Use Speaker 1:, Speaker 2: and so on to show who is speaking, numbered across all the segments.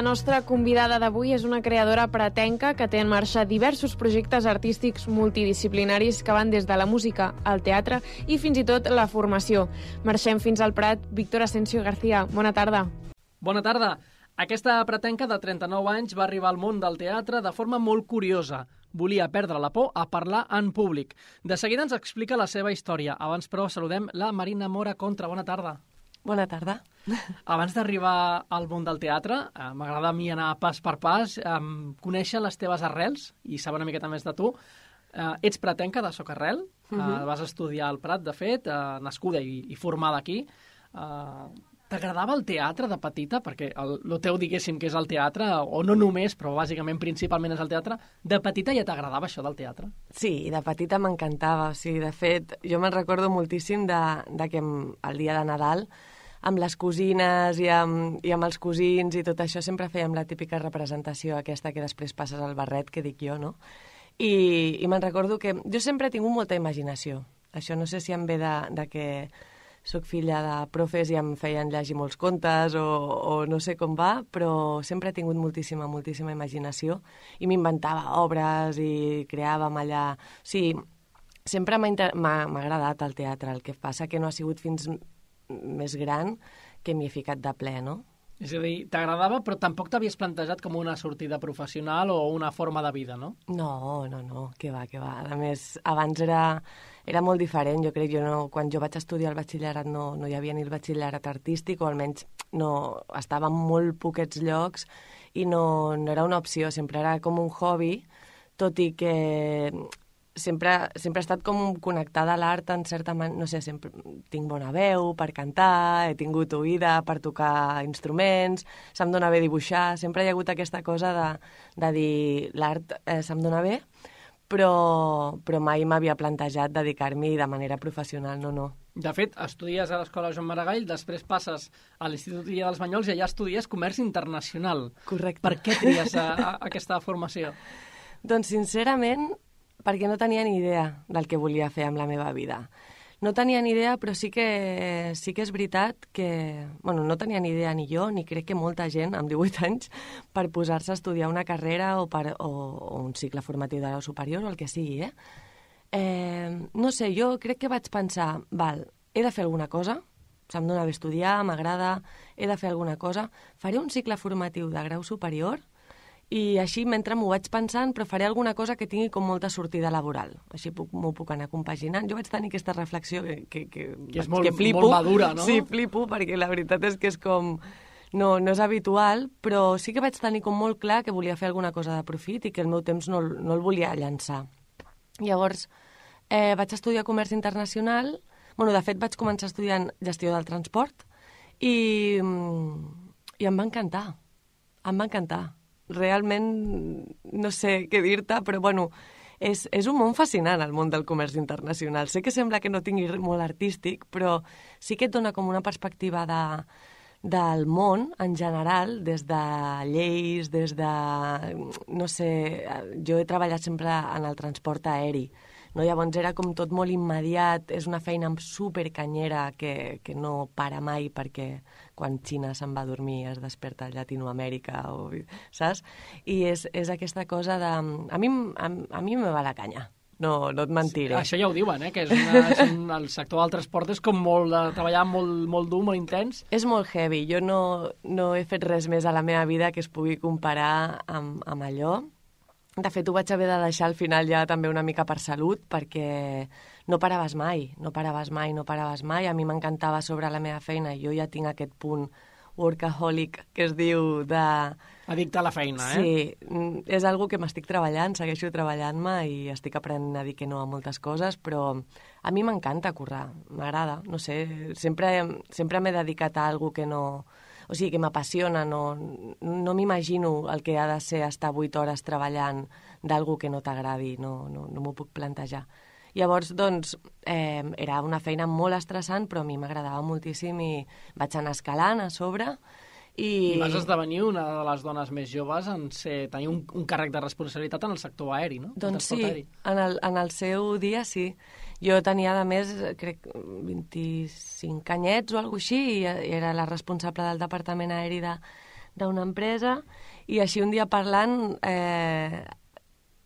Speaker 1: La nostra convidada d'avui és una creadora pretenca que té en marxa diversos projectes artístics multidisciplinaris que van des de la música al teatre i fins i tot la formació. Marxem fins al Prat. Víctor Asensio García, bona tarda.
Speaker 2: Bona tarda. Aquesta pretenca de 39 anys va arribar al món del teatre de forma molt curiosa. Volia perdre la por a parlar en públic. De seguida ens explica la seva història. Abans, però, saludem la Marina Mora Contra. Bona tarda.
Speaker 3: Bona tarda.
Speaker 2: Abans d'arribar al món del teatre, m'agrada a mi anar pas per pas, conèixer les teves arrels i saber una miqueta més de tu. Ets pretenca de Socarrel, vas estudiar al Prat, de fet, nascuda i formada aquí. T'agradava el teatre de petita? Perquè el teu, diguéssim, que és el teatre, o no només, però bàsicament, principalment és el teatre. De petita ja t'agradava això del teatre?
Speaker 3: Sí, de petita m'encantava. O sigui, de fet, jo me'n recordo moltíssim de que el dia de Nadal, amb les cosines i amb els cosins i tot això, sempre fèiem la típica representació aquesta que després passes al barret, que dic jo, no? I me'n recordo que jo sempre he tingut molta imaginació. Això no sé si em ve de que soc filla de profes i em feien llegir molts contes o no sé com va, però sempre he tingut moltíssima imaginació i m'inventava obres i creàvem allà. O sigui, sempre m'ha agradat el teatre, el que passa que no ha sigut fins més gran que m'hi he ficat de ple, no?
Speaker 2: És a dir, t'agradava, però tampoc t'havies plantejat com una sortida professional o una forma de vida, no?
Speaker 3: No, que va. A més, abans era molt diferent, jo crec. Quan jo vaig estudiar el batxillerat no hi havia ni el batxillerat artístic, o almenys no, estava en molt poquets llocs i no era una opció, sempre era com un hobby, tot i que sempre he estat com connectada a l'art en certa manera, no sé, sempre tinc bona veu per cantar, he tingut oïda per tocar instruments, se'm dona bé dibuixar, sempre hi ha hagut aquesta cosa de dir l'art se'm dona bé, però mai m'havia plantejat dedicar-m'hi de manera professional, no.
Speaker 2: De fet, estudies a l'Escola Joan Maragall, després passes a l'Institut Guillem dels Banyols i allà estudies Comerç Internacional.
Speaker 3: Correcte.
Speaker 2: Per què tries aquesta formació?
Speaker 3: Doncs, sincerament, perquè no tenia ni idea del que volia fer amb la meva vida. No tenia ni idea, però sí que és veritat que... Bueno, no tenia ni idea ni jo, ni crec que molta gent amb 18 anys per posar-se a estudiar una carrera o un cicle formatiu de grau superior o el que sigui, no sé, jo crec que vaig pensar, he de fer alguna cosa, se'm dona bé estudiar, m'agrada, he de fer alguna cosa, faré un cicle formatiu de grau superior i així, mentre m'ho vaig pensant, però faré alguna cosa que tingui com molta sortida laboral. Així m'ho puc anar compaginant. Jo vaig tenir aquesta reflexió que
Speaker 2: és molt
Speaker 3: flipo.
Speaker 2: Molt madura, no?
Speaker 3: Sí, flipo, perquè la veritat és que és com... No és habitual, però sí que vaig tenir com molt clar que volia fer alguna cosa de profit i que el meu temps no el volia llançar. Llavors, vaig estudiar Comerç Internacional. Bueno, de fet, vaig començar estudiant Gestió del Transport i em va encantar. Em va encantar. Realment no sé què dir-te, però bueno, és un món fascinant el món del comerç internacional. Sé que sembla que no tingui molt artístic, però sí que et dona com una perspectiva del món en general, des de lleis, des de... no sé, jo he treballat sempre en el transport aeri, no? Llavors era com tot molt immediat, és una feina supercanyera que no para mai perquè quan Xina se'n va a dormir es desperta a Llatinoamèrica, saps? I és aquesta cosa de... A mi me va la canya, no et mentiré.
Speaker 2: Això ja ho diuen, que el sector del transport és com molt de treballar molt dur, molt intens.
Speaker 3: És molt heavy. Jo no he fet res més a la meva vida que es pugui comparar amb allò. De fet, ho vaig haver de deixar al final ja també una mica per salut, perquè no paraves mai. A mi m'encantava sobre la meva feina. Jo ja tinc aquest punt workaholic que es diu de...
Speaker 2: Addicte a la feina,
Speaker 3: Sí, és algo que m'estic treballant, segueixo treballant-me i estic aprenent a dir que no a moltes coses, però a mi m'encanta currar, m'agrada, no sé, sempre m'he dedicat a algo que no... O sigui, que m'apassiona, no m'imagino el que ha de ser estar 8 hores treballant d'algú que no t'agradi, no m'ho puc plantejar. Llavors, doncs, era una feina molt estressant, però a mi m'agradava moltíssim i vaig anar escalant a sobre.
Speaker 2: I vas esdevenir una de les dones més joves en tenir un càrrec de responsabilitat en el sector aeri, no?
Speaker 3: Doncs sí, en el seu dia sí. Jo tenia, a més, crec, 25 anyets o alguna cosa així, i era la responsable del departament aeri d'una empresa, i així un dia parlant,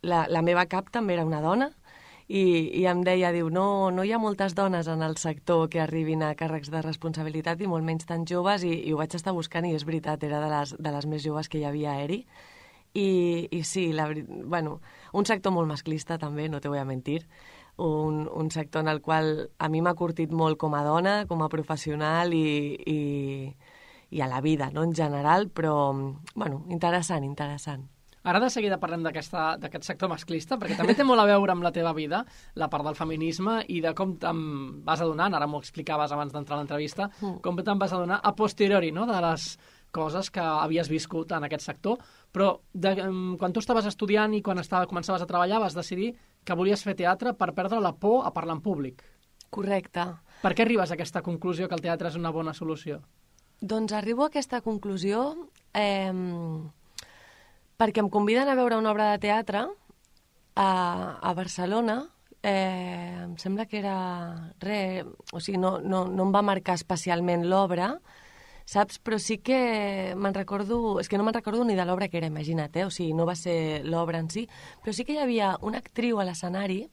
Speaker 3: la meva cap també era una dona, i em deia, diu, no hi ha moltes dones en el sector que arribin a càrrecs de responsabilitat i molt menys tan joves, i ho vaig estar buscant i és veritat, era de les més joves que hi havia a ERI. I sí, un sector molt masclista també, no te voy a mentir, un sector en el qual a mi m'ha curtit molt com a dona, com a professional i a la vida, no?, en general, però, interessant.
Speaker 2: Ara de seguida parlem d'aquest sector masclista, perquè també té molt a veure amb la teva vida, la part del feminisme, i de com te'n vas adonant, ara m'ho explicaves abans d'entrar a l'entrevista, com te'n vas adonar a posteriori, no?, de les coses que havies viscut en aquest sector, però quan tu estaves estudiant i quan començaves a treballar vas decidir que volies fer teatre per perdre la por a parlar en públic.
Speaker 3: Correcte.
Speaker 2: Per què arribes a aquesta conclusió que el teatre és una bona solució?
Speaker 3: Doncs arribo a aquesta conclusió perquè em conviden a veure una obra de teatre a Barcelona. Em sembla que era no em va marcar especialment l'obra, saps? Però sí que me'n recordo... És que no me'n recordo ni de l'obra que era, imagina't, o sigui, no va ser l'obra en si, però sí que hi havia una actriu a l'escenari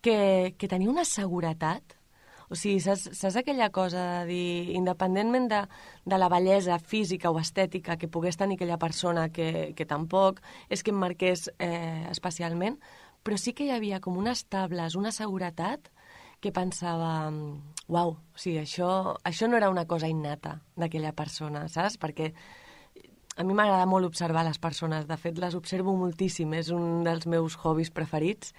Speaker 3: que tenia una seguretat. O sigui, saps aquella cosa de dir, independentment de la bellesa física o estètica que pogués tenir aquella persona, que tampoc és que em marqués especialment, però sí que hi havia com unes tables, una seguretat que pensava, uau, o sigui, això no era una cosa innata d'aquella persona, saps? Perquè a mi m'agrada molt observar les persones, de fet les observo moltíssim, és un dels meus hobbies preferits,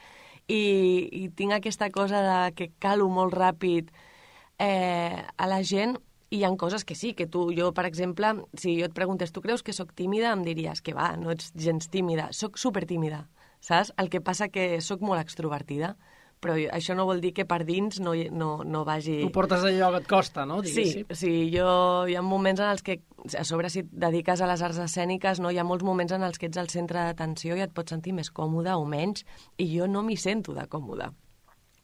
Speaker 3: i tinc aquesta cosa de que calo molt ràpid a la gent, i hi ha coses que sí, que jo, per exemple, si jo et preguntés, tu creus que sóc tímida? Em diries que va, no ets gens tímida, sóc supertímida, saps? El que passa que sóc molt extrovertida, però això no vol dir que per dins no vagi...
Speaker 2: Tu portes allò que et costa, no?
Speaker 3: Sí, hi ha moments en els que, a sobre si et dediques a les arts escèniques, no, hi ha molts moments en els que ets al centre d'atenció i et pots sentir més còmode o menys, i jo no m'hi sento de còmode.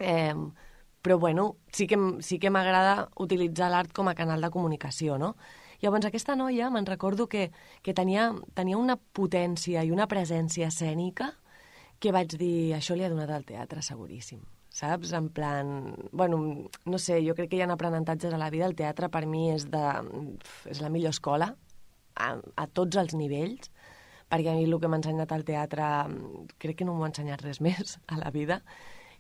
Speaker 3: Però bueno, sí que m'agrada utilitzar l'art com a canal de comunicació, no? Llavors aquesta noia me'n recordo que tenia una potència i una presència escènica que vaig dir, això li ha donat al teatre seguríssim, saps? En plan, bueno, no sé, jo crec que hi ha aprenentatges a la vida, el teatre per mi és la millor escola, a tots els nivells, perquè a mi el que m'ha ensenyat el teatre crec que no m'ho ha ensenyat res més a la vida,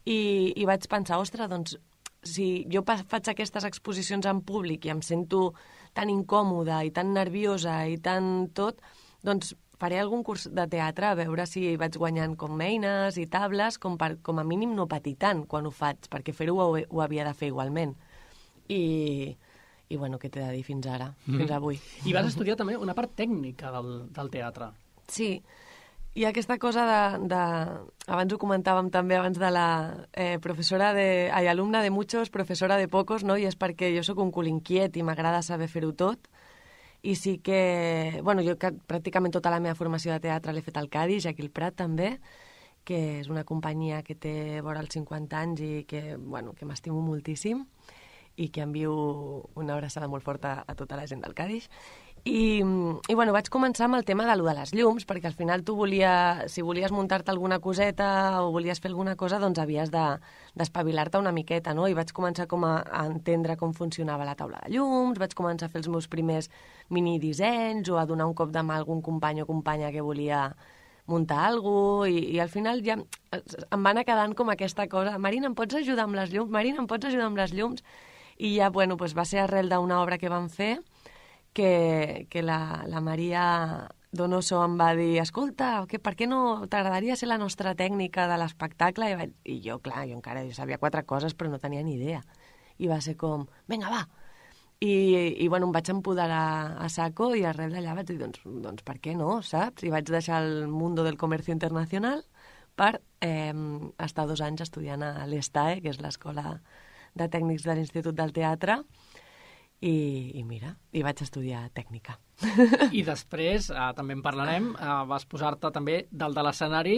Speaker 3: i vaig pensar, ostres, doncs, si jo faig aquestes exposicions en públic i em sento tan incòmoda i tan nerviosa i tan tot, doncs faré algun curs de teatre a veure si vaig guanyant com eines i tables, com a mínim no patir tant quan ho faig, perquè fer-ho ho havia de fer igualment. I bueno, què t'he de dir fins ara, fins avui.
Speaker 2: I vas estudiar també una part tècnica del teatre.
Speaker 3: Sí, hi ha aquesta cosa abans ho comentàvem també, abans de la alumna de muchos, professora de pocos, no? I és perquè jo sóc un cul inquiet i m'agrada saber fer-ho tot. I sí que, bueno, jo pràcticament tota la meva formació de teatre l'he fet al Cadix, aquí al Prat també, que és una companyia que té vora els 50 anys i que m'estimo moltíssim i que envio una abraçada molt forta a tota la gent del Cadix. I bueno, vaig començar amb el tema de les llums, perquè al final tu si volies muntar-te alguna coseta o volies fer alguna cosa, doncs havies d'espavilar-te una miqueta, no? I vaig començar a entendre com funcionava la taula de llums, vaig començar a fer els meus primers minidissenys o a donar un cop de mà a algun company o companya que volia muntar alguna cosa, i al final ja em va anar quedant com aquesta cosa, Marina, em pots ajudar amb les llums? Marina, em pots ajudar amb les llums? I ja, bueno, va ser arrel d'una obra que vam fer que la Maria Donoso em va dir, escolta, per què no t'agradaria ser la nostra tècnica de l'espectacle? I jo, clar, jo sabia 4 coses, però no tenia ni idea. I va ser com, vinga, va! I bueno, em vaig empoderar a saco i arrel d'allà vaig dir, doncs per què no, saps? I vaig deixar el mundo del comercio internacional per estar 2 anys estudiant a l'ESTAE, que és l'Escola de Tècnics de l'Institut del Teatre, i mira, i vaig estudiar tècnica.
Speaker 2: I després, també en parlarem, vas posar-te també dalt de l'escenari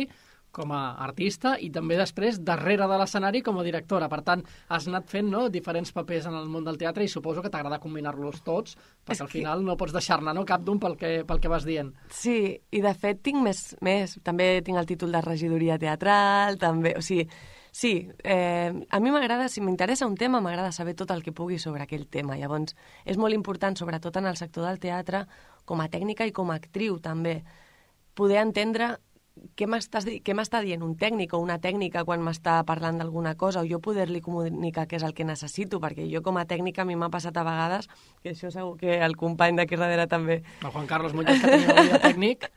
Speaker 2: com a artista i també després darrere de l'escenari com a directora. Per tant, has anat fent diferents papers en el món del teatre i suposo que t'agrada combinar-los tots, perquè al final no pots deixar-ne cap d'un pel que vas dient.
Speaker 3: Sí, i de fet tinc més. També tinc el títol de regidoria teatral, també, o sigui, sí, a mi m'agrada, si m'interessa un tema, m'agrada saber tot el que pugui sobre aquell tema. Llavors, és molt important, sobretot en el sector del teatre, com a tècnica i com a actriu també, poder entendre què m'està dient un tècnic o una tècnica quan m'està parlant d'alguna cosa, o jo poder-li comunicar què és el que necessito, perquè jo com a tècnica a mi m'ha passat a vegades, que això segur que el company d'aquí darrere també...
Speaker 2: El Juan Carlos Muñoz, que tenia el tècnic.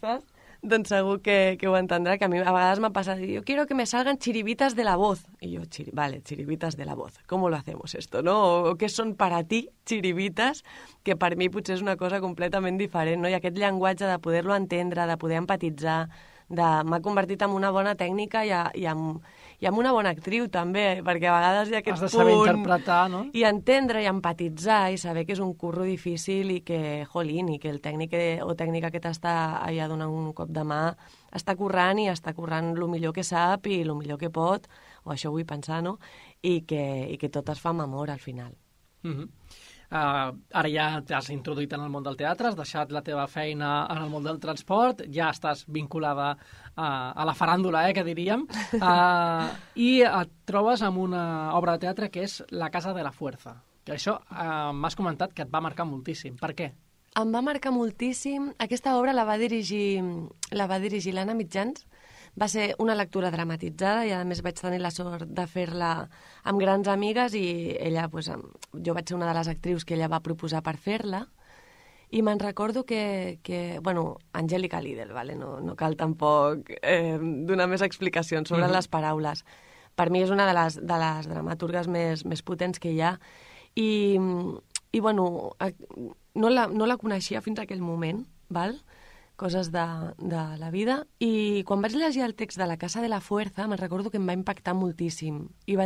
Speaker 3: Saps? Doncs segur que ho entendrà, que a mi a vegades m'ha passat, yo quiero que me salgan chiribitas de la voz. Y yo, vale, chiribitas de la voz. ¿Cómo lo hacemos esto, no? O què són per a ti chiribitas, que per mi potser és una cosa completament diferent, no? I aquest llenguatge de poder-lo entendre, de poder empatitzar, m'ha convertit en una bona tècnica i en una bona actriu també, perquè a vegades hi ha aquest
Speaker 2: punt... Has de saber interpretar, no?
Speaker 3: I entendre i empatitzar i saber que és un curro difícil i que, jolín, i que el tècnic o tècnica que t'està allà donant un cop de mà està currant i està currant el millor que sap i el millor que pot, o això vull pensar, no? I que tot es fa amb amor al final.
Speaker 2: Ara ja t'has introduït en el món del teatre, has deixat la teva feina en el món del transport, ja estàs vinculada a la faràndula, que diríem, i et trobes amb una obra de teatre que és La casa de la fuerza. Que això m'has comentat que et va marcar moltíssim. Per què?
Speaker 3: Em va marcar moltíssim. Aquesta obra la va dirigir l'Anna Mitjans. Va ser una lectura dramatitzada i, a més, vaig tenir la sort de fer-la amb grans amigues i ella, jo vaig ser una de les actrius que ella va proposar per fer-la i me'n recordo que Angélica Lidl, vale? No cal tampoc donar més explicacions sobre les paraules. Per mi és una de les dramaturgues més potents que hi ha i no la coneixia fins a aquell moment, val? Coses de la vida, i quan vaig llegir el text de La casa de la fuerza me'n recordo que em va impactar moltíssim i em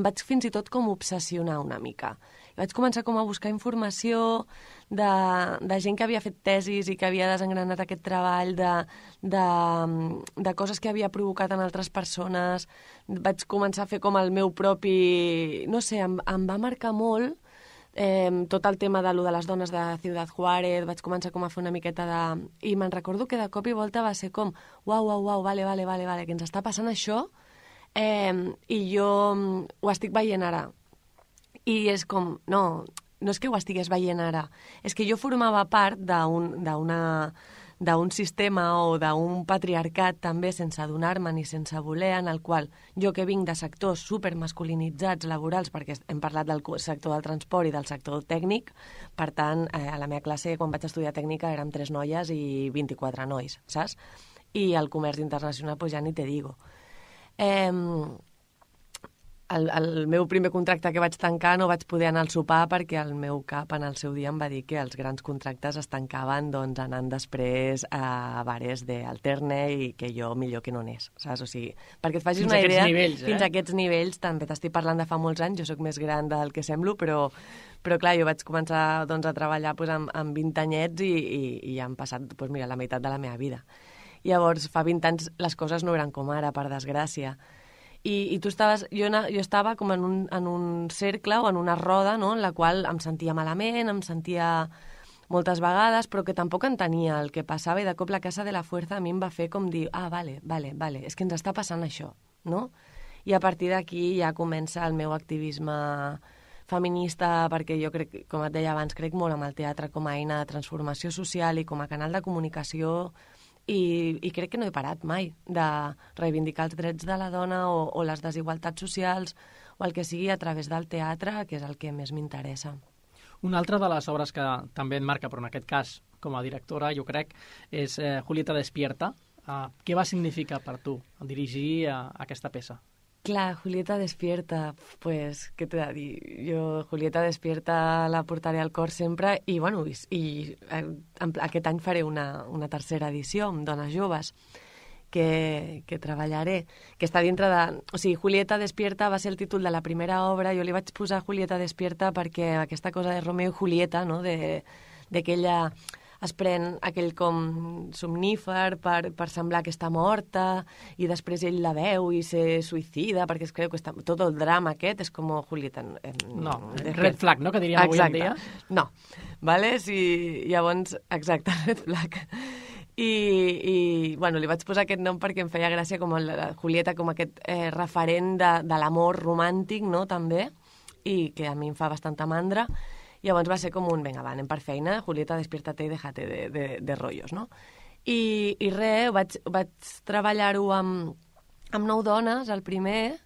Speaker 3: vaig fins i tot com obsessionar una mica. I vaig començar com a buscar informació de gent que havia fet tesis i que havia desengranat aquest treball, de coses que havia provocat en altres persones. Vaig començar a fer com el meu propi... No sé, em va marcar molt tot el tema de les dones de Ciudad Juárez. Vaig començar com a fer una miqueta i me'n recordo que de cop i volta va ser com uau, vale, que ens està passant això i jo ho estic veient ara. I és com, no és que ho estigués veient ara, és que jo formava part d'un sistema o d'un patriarcat també sense adonar-me ni sense voler, en el qual jo que vinc de sectors supermasculinitzats laborals, perquè hem parlat del sector del transport i del sector tècnic, per tant, a la meva classe, quan vaig estudiar tècnica, érem 3 noies i 24 nois, saps? I el comerç internacional, pues ja ni te digo. El meu primer contracte que vaig tancar no vaig poder anar al sopar perquè el meu cap en el seu dia em va dir que els grans contractes es tancaven anant després a bares d'Alterne i que jo millor que no anés, saps? O sigui, perquè et facis una idea... Fins a aquests nivells, també t'estic parlant de fa molts anys, jo sóc més gran del que semblo, però clar, jo vaig començar a treballar amb 20 anyets i ja han passat la meitat de la meva vida. Llavors, fa 20 anys les coses no eren com ara, per desgràcia. I tu estaves... Jo estava com en un cercle o en una roda, no?, en la qual em sentia malament, em sentia moltes vegades, però que tampoc entenia el que passava, i de cop La casa de la fuerza a mi em va fer com dir, vale, és que ens està passant això, no? I a partir d'aquí ja comença el meu activisme feminista, perquè jo crec, com et deia abans, crec molt en el teatre com a eina de transformació social i com a canal de comunicació. I crec que no he parat mai de reivindicar els drets de la dona o les desigualtats socials o el que sigui a través del teatre, que és el que més m'interessa.
Speaker 2: Una altra de les obres que també et marca, però en aquest cas com a directora, jo crec, és Julieta Despierta. Què va significar per tu dirigir aquesta peça?
Speaker 3: Clar, Julieta Despierta, pues, què t'he de dir? Jo Julieta Despierta la portaré al cor sempre i aquest any faré una tercera edició amb dones joves que treballaré, que està dintre de... O sigui, Julieta Despierta va ser el títol de la primera obra, jo li vaig posar Julieta Despierta perquè aquesta cosa de Romeo i Julieta, no?, de que ella es pren aquell com somnífer per semblar que està morta, i després ell la veu i se suïcida perquè es creu que està... Tot el drama aquest és com Julieta...
Speaker 2: No, red flag, no?, que diríem avui en dia.
Speaker 3: No, vale? Sí, llavors, exacte, red flag. I bueno, li vaig posar aquest nom perquè em feia gràcia com la Julieta, com aquest referent de l'amor romàntic, no?, també, i que a mi em fa bastanta mandra. Llavors va ser com un, vinga, va, anem per feina, Julieta, despiértate i déjate de rollos, no? I res, vaig treballar-ho amb 9 dones, el primer,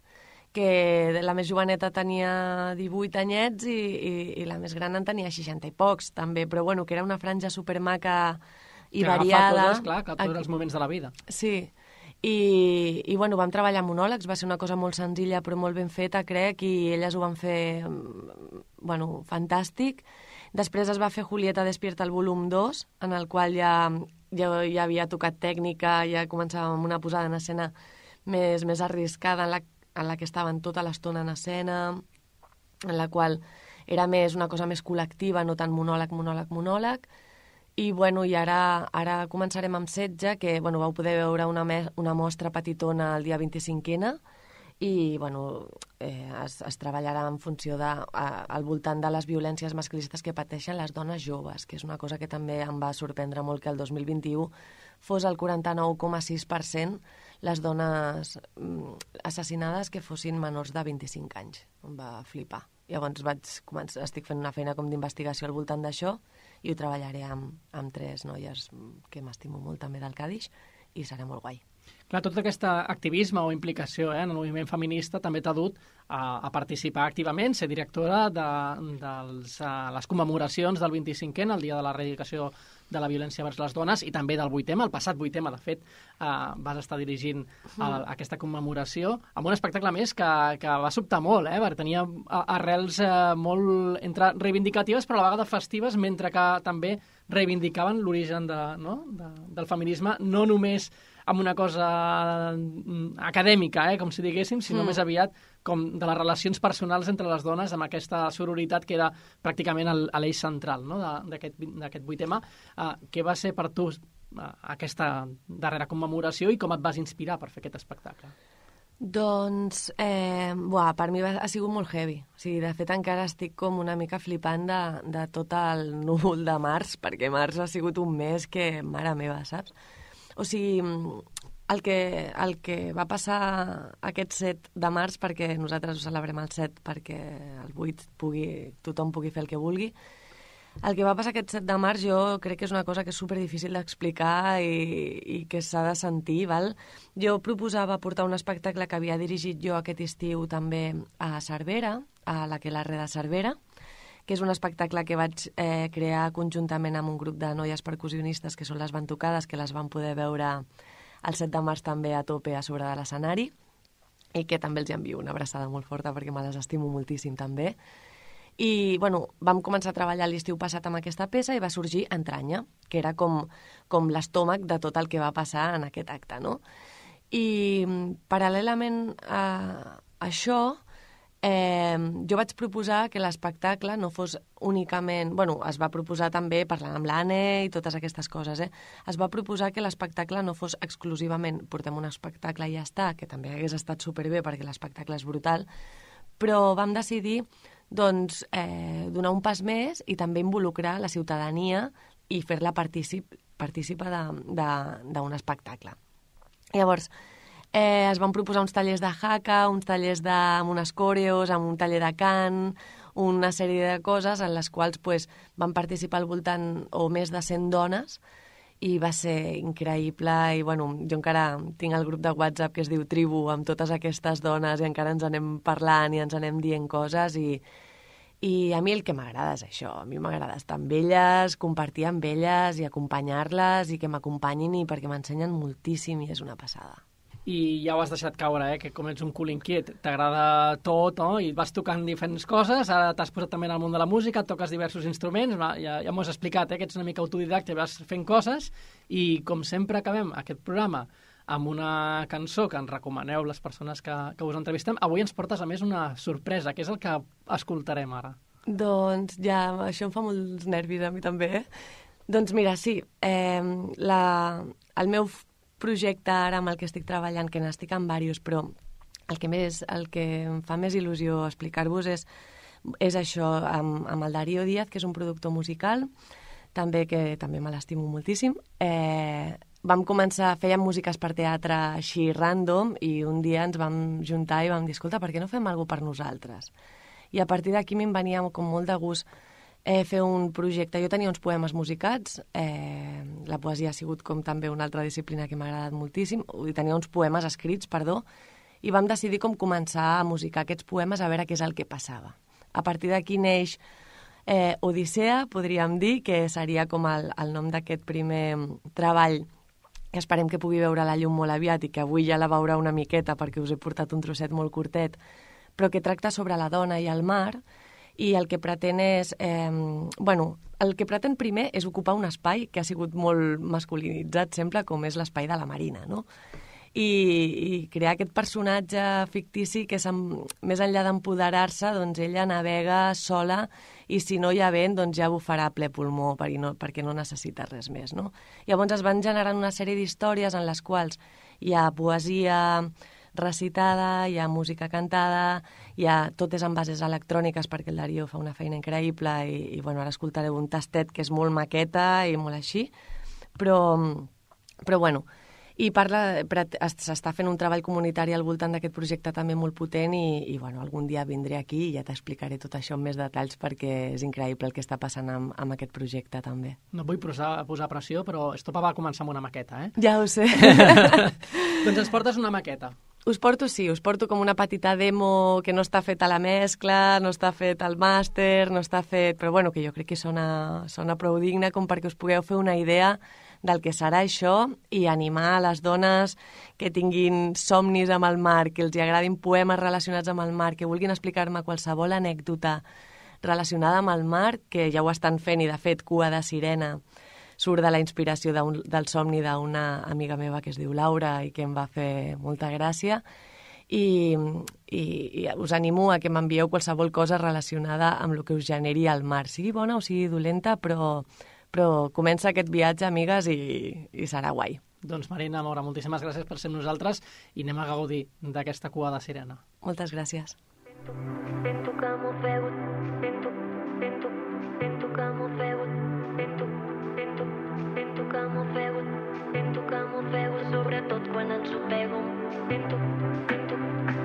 Speaker 3: que la més joveneta tenia 18 anyets i la més gran en tenia 60 i pocs, també, però bueno, que era una franja supermaca i variada.
Speaker 2: Que agafa coses, clar, que tots els moments de la vida.
Speaker 3: Sí, i bueno, vam treballar monòlegs, va ser una cosa molt senzilla però molt ben feta, crec, i elles ho van fer, bueno, fantàstic. Després es va fer Julieta despierta el volum 2, en el qual ja havia tocat tècnica, ja començàvem amb una posada en escena més arriscada, en la que estaven tota l'estona en escena, en la qual era una cosa més col·lectiva, no tant monòleg. I, bueno, i ara començarem amb Setge, que, bueno, vau poder veure una mostra petitona el dia 25ena, i, bueno, es treballarà en funció al voltant de les violències masclistes que pateixen les dones joves, que és una cosa que també em va sorprendre molt, que el 2021 fos el 49,6% les dones assassinades que fossin menors de 25 anys. Em va flipar. Llavors estic fent una feina com d'investigació al voltant d'això, i ho treballaré amb 3 noies que m'estimo molt també del Cadix, i serà molt guai.
Speaker 2: Clar, tot aquest activisme o implicació en el moviment feminista també t'ha dut a participar activament, ser directora de les commemoracions del 25ena, el dia de l'erradicació de la violència vers les dones, i també del 8ema, el passat 8ema, de fet, vas estar dirigint aquesta commemoració amb un espectacle més que va sobtar molt, perquè tenia arrels molt reivindicatives però a la vegada festives, mentre que també reivindicaven l'origen del feminisme, no només amb una cosa acadèmica, com si diguéssim, sinó més aviat com de les relacions personals entre les dones, amb aquesta sororitat que era pràcticament l'eix central, no?, d'aquest 8ema. Què va ser per tu aquesta darrera commemoració i com et vas inspirar per fer aquest espectacle?
Speaker 3: Doncs, per mi ha sigut molt heavy. O sigui, de fet, encara estic com una mica flipant de tot el núvol de març, perquè març ha sigut un mes que, mare meva, saps? O sigui, el que va passar aquest 7 de març, perquè nosaltres ho celebrem el 7 perquè el 8 tothom pugui fer el que vulgui, el que va passar aquest 7 de març jo crec que és una cosa que és superdifícil d'explicar i que s'ha de sentir, val? Jo proposava portar un espectacle que havia dirigit jo aquest estiu també a Cervera, a l'Aquelarre de Cervera, que és un espectacle que vaig crear conjuntament amb un grup de noies percussionistes que són les Batucades, que les van poder veure el 7 de març també a tope a sobre de l'escenari, i que també els envio una abraçada molt forta perquè me les estimo moltíssim també. I, bueno, vam començar a treballar l'estiu passat amb aquesta peça i va sorgir Entranya, que era com l'estómac de tot el que va passar en aquest acte, no? I paral·lelament a això, jo vaig proposar que l'espectacle no fos únicament... Bueno, es va proposar també, parlant amb l'Anne i totes aquestes coses, es va proposar que l'espectacle no fos exclusivament portem un espectacle i ja està, que també hagués estat superbé perquè l'espectacle és brutal, però vam decidir doncs, donar un pas més i també involucrar la ciutadania i fer-la partícipa d'un espectacle. Llavors, es van proposar uns tallers de haka, uns tallers amb unes coreos, amb un taller de cant, una sèrie de coses en les quals van participar al voltant o més de 100 dones i va ser increïble. I bueno, jo encara tinc el grup de WhatsApp que es diu Tribu amb totes aquestes dones i encara ens anem parlant i ens anem dient coses i a mi el que m'agrada és això. A mi m'agrada estar amb elles, compartir amb elles i acompanyar-les i que m'acompanyin i perquè m'ensenyen moltíssim i és una passada.
Speaker 2: I ja ho has deixat caure, que com ets un cul inquiet, t'agrada tot, no? I vas tocant diferents coses, ara t'has posat també en el món de la música, toques diversos instruments, ja m'ho has explicat, que ets una mica autodidacte, vas fent coses, i com sempre acabem aquest programa amb una cançó que ens recomaneu les persones que us entrevistem, avui ens portes a més una sorpresa, que és el que escoltarem ara.
Speaker 3: Doncs ja, això em fa molts nervis a mi també, Doncs mira, sí. El meu projecte ara amb el que estic treballant, que n'estic en diversos, però el que em fa més il·lusió explicar-vos és això, amb el Darío Díaz, que és un productor musical, que també me l'estimo moltíssim. Vam començar, fèiem músiques per teatre així random, i un dia ens vam juntar i vam dir, escolta, per què no fem alguna cosa per nosaltres? I a partir d'aquí me'n venia com molt de gust fer un projecte. Jo tenia uns poemes musicats, la poesia ha sigut com també una altra disciplina que m'ha agradat moltíssim, i tenia uns poemes escrits, i vam decidir com començar a musicar aquests poemes a veure què és el que passava. A partir d'aquí neix Odissea, podríem dir, que seria com el nom d'aquest primer treball, que esperem que pugui veure la llum molt aviat i que avui ja la veurà una miqueta perquè us he portat un trosset molt curtet, però que tracta sobre la dona i el mar, i el que pretén és... el que pretén primer és ocupar un espai que ha sigut molt masculinitzat sempre, com és l'espai de la Marina, no? I crear aquest personatge fictici que més enllà d'empoderar-se, doncs ella navega sola i si no hi ha vent, doncs ja bufarà a ple pulmó perquè no necessita res més, no? Llavors es van generant una sèrie d'històries en les quals hi ha poesia recitada, hi ha música cantada, tot és en bases electròniques perquè el Darío fa una feina increïble i ara escoltareu un tastet que és molt maqueta i molt així, però i s'està fent un treball comunitari al voltant d'aquest projecte també molt potent i algun dia vindré aquí i ja t'explicaré tot això amb més detalls perquè és increïble el que està passant amb aquest projecte també.
Speaker 2: No vull posar pressió, però Estopa va començar amb una maqueta, eh?
Speaker 3: Ja ho sé.
Speaker 2: Doncs ens portes una maqueta.
Speaker 3: Us porto com una petita demo que no està feta la mescla, no està fet el màster, no està fet... Però que jo crec que sona prou digne com perquè us pugueu fer una idea del que serà això i animar a les dones que tinguin somnis amb el mar, que els agradin poemes relacionats amb el mar, que vulguin explicar-me qualsevol anècdota relacionada amb el mar, que ja ho estan fent i, de fet, Cua de Sirena surt de la inspiració del somni d'una amiga meva que es diu Laura i que em va fer molta gràcia. I us animo a que m'envieu qualsevol cosa relacionada amb el que us generi el mar, sigui bona o sigui dolenta, però comença aquest viatge, amigues, i serà guai.
Speaker 2: Doncs Marina Mora, moltíssimes gràcies per ser amb nosaltres i anem a gaudir d'aquesta Cua de Sirena.
Speaker 3: Moltes gràcies.
Speaker 4: Sento que m'ofego, sento que m'ofego, sento que m'ofego, sobretot quan ensopego. Sento que m'ofego,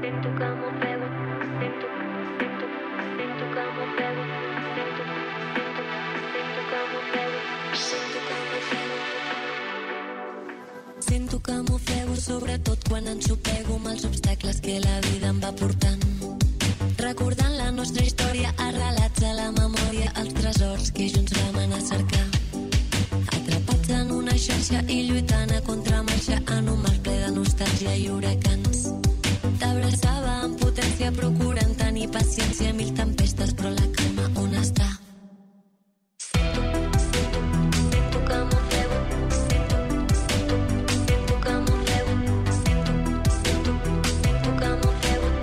Speaker 4: sento que m'ofego, sento que m'ofego. Sento que m'ofego, sobretot quan ensopego amb els obstacles que la vida em va portant. Recordant la nostra història, arrelats a la memòria, els tresors que junts vam anar a cercar. Atrapats en una xarxa i lluitant a contramarxa en un mar ple de nostàlgia i huracans. T'abraçava amb potència procurant tenir paciència, mil tempestes, però la calma on està? Sento que m'ofego, sento que m'ofego, sento que m'ofego,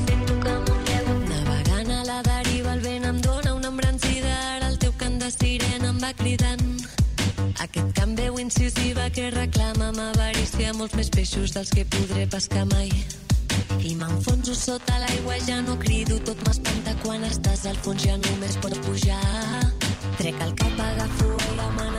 Speaker 4: sento que m'ofego. Navegant a la deriva el vent em dóna una embranzida, ara el teu cant de sirena em va cridant. Aquest cant veu incisiva que reclama amb avarícia molts més peixos dels que podré pescar mai. I m'enfonso sota l'aigua, ja no crido, tot m'espanta quan estàs al fons, ja només pot pujar. Trec el cap, agafo aire,